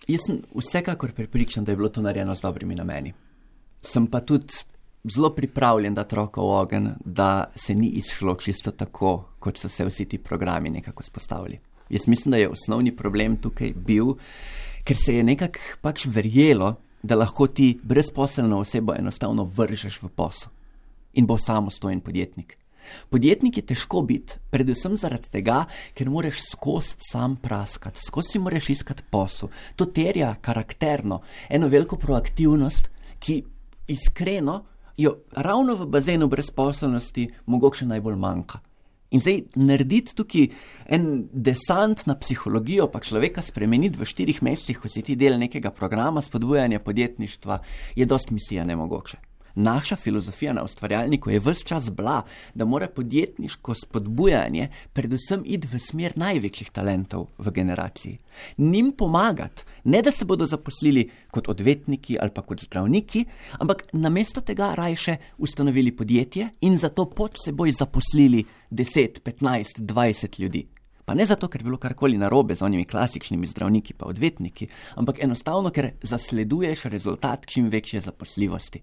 Jaz sem vsekakor prepričan, da je bilo to narejeno z dobrimi nameni. Sem pa tudi zelo pripravljen dati roko v ogenj, da se ni izšlo čisto tako, kot so se vsi ti programi nekako spostavili. Jaz mislim, da je osnovni problem tukaj bil, ker se je nekako pač verjelo, da lahko ti brezposelno osebo enostavno vržeš v posel in bo samostojen podjetnik. Podjetnik je težko biti, predvsem zaradi tega, ker moraš skozi sam praskati, skozi si moraš iskati posel. To terja karakterno eno veliko proaktivnost, ki iskreno jo ravno v bazenu brezposelnosti mogoče najbolj manjka. In zdaj narediti tukaj en desant na psihologijo, pa človeka spremeniti v štirih mesecih, ko si ti del nekega programa spodbujanja podjetništva, je dost misija nemogoče. naša filozofija na Ustvarjalniku je ves čas bila, da mora podjetniško spodbujanje predvsem iti v smer največjih talentov v generaciji. Njim pomagati, ne da se bodo zaposlili kot odvetniki ali pa kot zdravniki, ampak namesto tega rajše ustanovili podjetje in zato pod seboj zaposlili deset, petnajst, dvajset ljudi. Pa ne zato, ker je bilo karkoli narobe z onimi klasičnimi zdravniki pa odvetniki, ampak enostavno, ker zasleduješ rezultat čim večje zaposljivosti.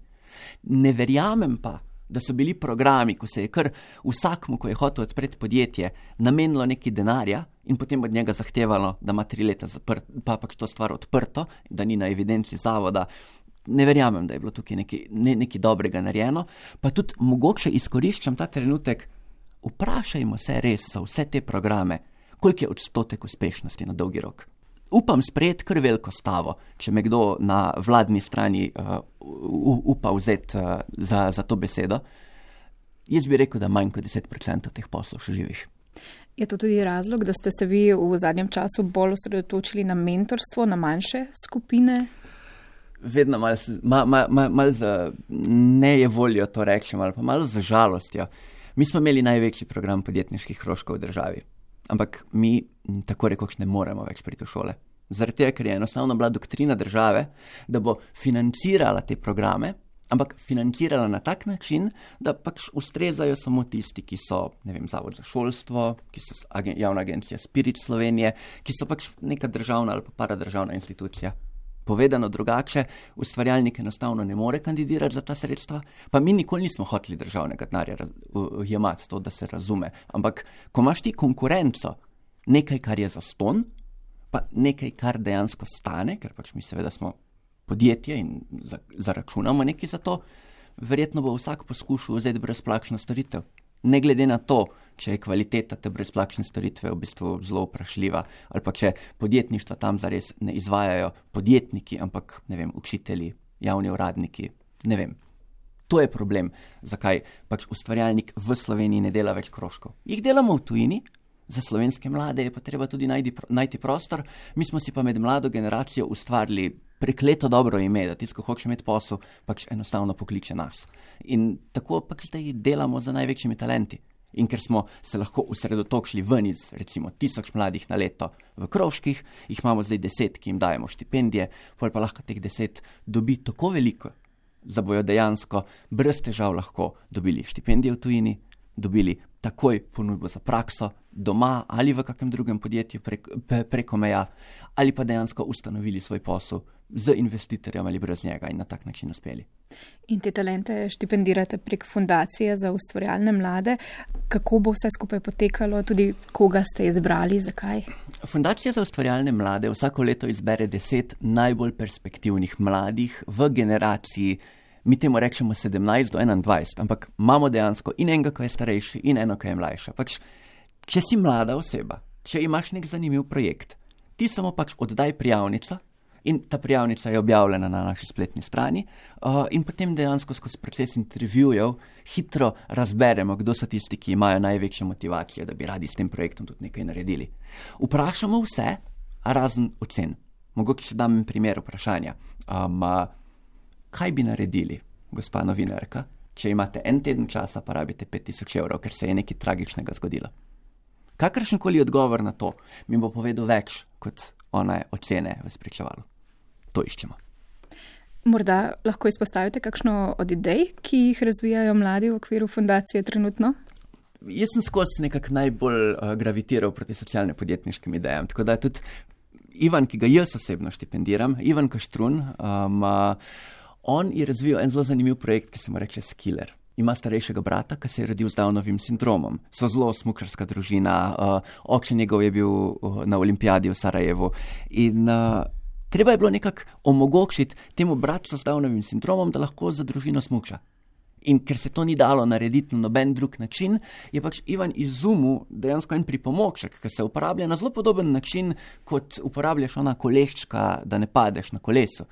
Ne verjamem pa, da so bili programi, ko se je kar vsakmu, ko je hotel odpreti podjetje, namenilo neki denarja in potem od njega zahtevalo, da ima tri leta zaprt, pa pač to stvar odprto, da ni na evidenci zavoda. Ne verjamem, da je bilo tukaj nekaj, ne, nekaj dobrega narejeno, pa tudi mogoče izkoriščam ta trenutek, vprašajmo se res za vse te programe, koliko je odstotek uspešnosti na dolgi rok. Upam sprejeti kar veliko stavo, če me kdo na vladni strani uh, upa vzeti uh, za, za to besedo. Jaz bi rekel, da manj kot deset procentov teh poslov še živih. Je to tudi razlog, da ste se vi v zadnjem času bolj osredotočili na mentorstvo, na manjše skupine? Vedno malo mal, mal, mal, mal za nejevoljo to rečem, ali pa malo za žalostjo. Mi smo imeli največji program podjetniških krožkov v državi. Ampak mi tako rekoč ne moremo več priti v šole. Zaradi tega, ker je enostavno bila doktrina države, da bo financirala te programe, ampak financirala na tak način, da pač ustrezajo samo tisti, ki so, ne vem, Zavod za šolstvo, ki so agen- javna agencija Spirit Slovenije, ki so pač neka državna ali pa paradržavna institucija. Povedano drugače, Ustvarjalnik enostavno ne more kandidirati za ta sredstva, pa mi nikoli nismo hoteli državnega denarja jemati, to, da se razume. Ampak, ko imaš ti konkurenco, nekaj, kar je zastonj, pa nekaj, kar dejansko stane, ker pač mi seveda smo podjetje in zaračunamo nekaj za to, verjetno bo vsak poskušal vzeti brezplačno storitev. Ne glede na to, če je kvaliteta te brezplačne storitve v bistvu zelo vprašljiva, ali pa če podjetništva tam zares ne izvajajo podjetniki, ampak, ne vem, učitelji, javni uradniki, ne vem. To je problem, zakaj pač Ustvarjalnik v Sloveniji ne dela več krožkov. Jih delamo v tujini, za slovenske mlade je pa treba tudi najti, najti prostor, mi smo si pa med mlado generacijo ustvarili prekleto dobro ime, da tisto, ko hoče imeti posel, pač enostavno pokliče nas. In tako pač zdaj delamo za največjimi talenti. In ker smo se lahko osredotočili ven iz recimo tisoč mladih na leto v krožkih, jih imamo zdaj deset, ki jim dajemo štipendije, pol pa lahko teh deset dobi tako veliko, da bojo dejansko brez težav lahko dobili štipendije v tujini, dobili takoj ponudbo za prakso doma ali v kakem drugem podjetju prek, preko meja, ali pa dejansko ustanovili svoj posel z investitorjem ali brez njega in na tak način uspeli. In te talente štipendirate prek fundacije za ustvarjalne mlade. Kako bo vse skupaj potekalo, tudi koga ste izbrali, zakaj? Fundacija za ustvarjalne mlade vsako leto izbere deset najbolj perspektivnih mladih v generaciji, mi temu rečemo sedemnajst do enaindvajset, ampak imamo dejansko in enega, ko je starejši, in eno, ko je mlajša. Pač, če si mlada oseba, če imaš nek zanimiv projekt, ti samo pač oddaj prijavnico in ta prijavnica je objavljena na naši spletni strani uh, in potem dejansko skozi proces intervjujev hitro razberemo, kdo so tisti, ki imajo največjo motivacijo, da bi radi s tem projektom tudi nekaj naredili. Vprašamo vse, razen ocen. Mogoče še dam primer vprašanja. Um, uh, kaj bi naredili, gospa novinarka, če imate en teden časa, pa rabite pet tisoč evrov, ker se je nekaj tragičnega zgodilo? Kakršenkoli odgovor na to mi bo povedal več kot one ocene v spričevalu. To iščemo. Morda lahko izpostavite kakšno od idej, ki jih razvijajo mladi v okviru fundacije trenutno? Jaz sem skozi nekako najbolj uh, gravitiral proti socialne podjetniškim idejam, tako da tudi Ivan, ki ga jaz osebno štipendiram, Ivan Kaštrun, um, uh, on je razvil en zelo zanimiv projekt, ki se mu reče Skiller. Ima starejšega brata, ki se je rodil z Downovim sindromom. So zelo smučarska družina, uh, oče njegov je bil uh, na olimpijadi v Sarajevu in uh, treba je bilo nekako omogočiti temu bratcu z Downovim sindromom, da lahko za družino smuča. In ker se to ni dalo narediti na noben drug način, je pač Ivan izumil dejansko en pripomoček, ki se uporablja na zelo podoben način, kot uporabljaš ona koleščka, da ne padeš na kolesu.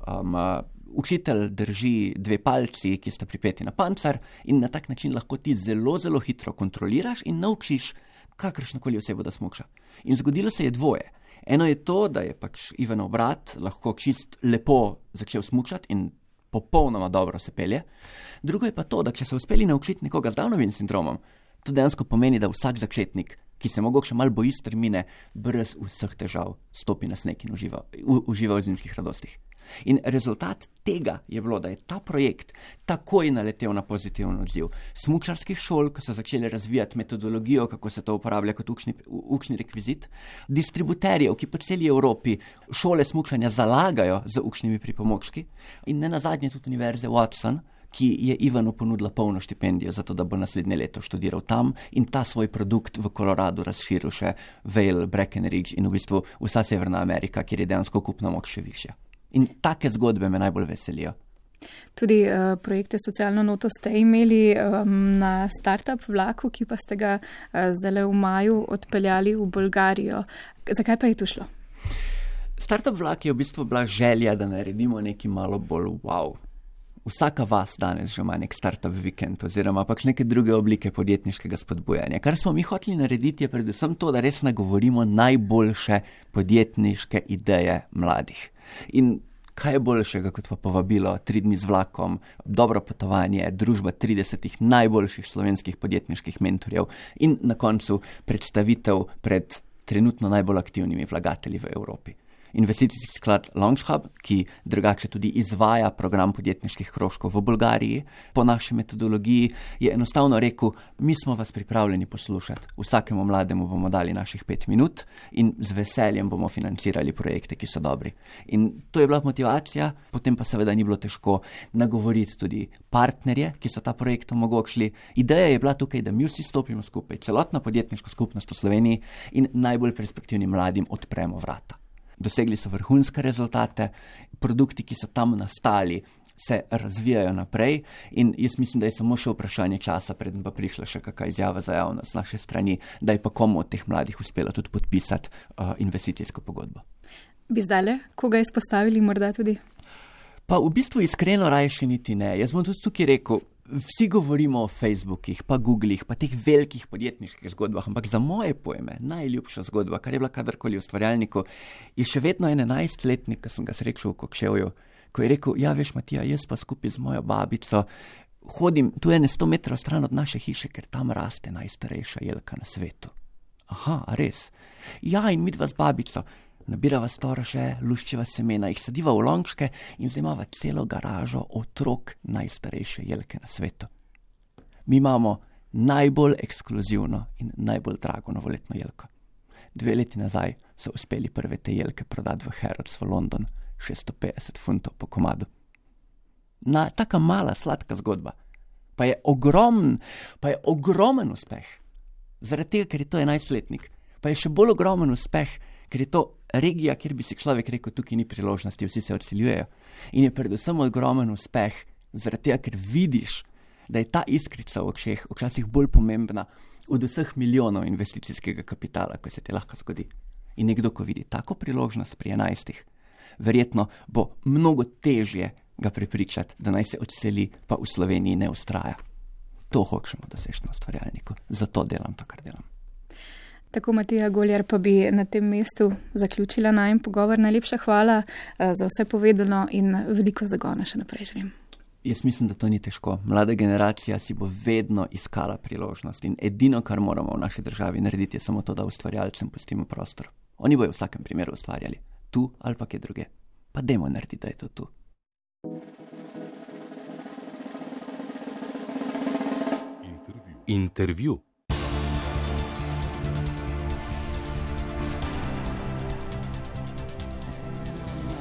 Um, uh, učitelj drži dve palci, ki sta pripeti na pancar in na tak način lahko ti zelo, zelo hitro kontroliraš in naučiš kakršnokoli osebo, da smuča. In zgodilo se je dvoje. Eno je to, da je pač Ivanov brat lahko čist lepo začel smučati in popolnoma dobro se pelje. Drugo je pa to, da če so uspeli naučiti nekoga z Downovim sindromom, to dejansko pomeni, da vsak začetnik, ki se mogoče malo boji strmine, brez vseh težav stopi na sneg in uživa, u, uživa v zimskih radostih. In rezultat tega je bilo, da je ta projekt takoj naletel na pozitiven odziv smučarskih šol, ko so začeli razvijati metodologijo, kako se to uporablja kot učni, učni rekvizit, distributerjev, ki po celi Evropi šole smučanja zalagajo z učnimi pripomočki, in ne nazadnje tudi univerze Watson, ki je Ivanu ponudila polno štipendijo za to, da bo naslednje leto študiral tam in ta svoj produkt v Koloradu razširil še Vail, Breckenridge in v bistvu vsa Severna Amerika, kjer je dejansko kupna moč še višja. In take zgodbe me najbolj veselijo. Tudi uh, projekte Socialno noto ste imeli um, na startup vlaku, ki pa ste ga uh, zdaj v maju odpeljali v Bolgarijo. Zakaj pa je to šlo? Startup vlak je v bistvu bila želja, da naredimo nekaj malo bolj wow. Vsaka vas danes že ima nek startup vikend oziroma pač neke druge oblike podjetniškega spodbujanja. Kar smo mi hoteli narediti je predvsem to, da res nagovorimo najboljše podjetniške ideje mladih. In kaj je boljšega kot pa povabilo tri dni z vlakom, dobro potovanje, družba tridesetih najboljših slovenskih podjetniških mentorjev in na koncu predstavitev pred trenutno najbolj aktivnimi vlagatelji v Evropi. Investicijski sklad LaunchHub, ki drugače tudi izvaja program podjetniških krožkov v Bolgariji, po naši metodologiji je enostavno rekel, mi smo vas pripravljeni poslušati, vsakemu mlademu bomo dali naših pet minut in z veseljem bomo financirali projekte, ki so dobri. In to je bila motivacija, potem pa seveda ni bilo težko nagovoriti tudi partnerje, ki so ta projekt omogočili. Ideja je bila tukaj, da mi vsi stopimo skupaj, celotna podjetniška skupnost v Sloveniji in najbolj perspektivnim mladim odpremo vrata. Dosegli so vrhunske rezultate, produkti, ki so tam nastali, se razvijajo naprej in jaz mislim, da je samo še vprašanje časa, preden pa prišla še kakšna izjava za javnost z naše strani, da je pa komu od teh mladih uspelo tudi podpisati uh, investicijsko pogodbo. Bi zdajle koga izpostavili morda tudi? Pa v bistvu iskreno raje še niti ne. Jaz bom tudi tukaj rekel, vsi govorimo o Facebookih, pa Googlih, pa teh velikih podjetniških zgodbah, ampak za moje pojme najljubša zgodba, kar je bila kadarkoli v ustvarjalniku, je še vedno en enajstletnik, ki sem ga srečal v Kokševju, ko je rekel, ja veš Matija, jaz pa skupaj z mojo babico hodim tu ene sto metrov stran od naše hiše, ker tam raste najstarejša jelka na svetu. Aha, a res? Ja, in midva z babico nabirava storože, luščiva semena, jih sadiva v lončke in zdaj imava celo garažo otrok najstarejše jelke na svetu. Mi imamo najbolj ekskluzivno in najbolj drago novoletno jelko. Dve leti nazaj so uspeli prve te jelke prodati v Harrods v London, šeststo petdeset funtov po komadu. Na taka mala, sladka zgodba. Pa je ogromen, pa je ogromen uspeh. Zaradi tega, ker je to enajstletnik. Pa je še bolj ogromen uspeh, ker je to regija, kjer bi si človek rekel, tukaj ni priložnosti, vsi se odseljujejo. In je predvsem ogromen uspeh, zaradi tega, ker vidiš, da je ta iskrica v očeh včasih bolj pomembna od vseh milijonov investicijskega kapitala, ko se ti lahko zgodi. In nekdo, ko vidi tako priložnost pri enajstih, verjetno bo mnogo težje ga prepričati, da naj se odseli, pa v Sloveniji ne ustraja. To hočemo doseči na ustvarjalniku. Zato delam to, kar delam. Tako Matija Goljar pa bi na tem mestu zaključila najin pogovor. Najlepša hvala za vse povedano in veliko zagona še naprej želim. Jaz mislim, da to ni težko. Mlada generacija si bo vedno iskala priložnost in edino, kar moramo v naši državi narediti, je samo to, da ustvarjalcem pustimo prostor. Oni bojo v vsakem primeru ustvarjali. Tu ali pa kje druge. Pa dajmo narediti, da je to tu. Intervju. Intervju.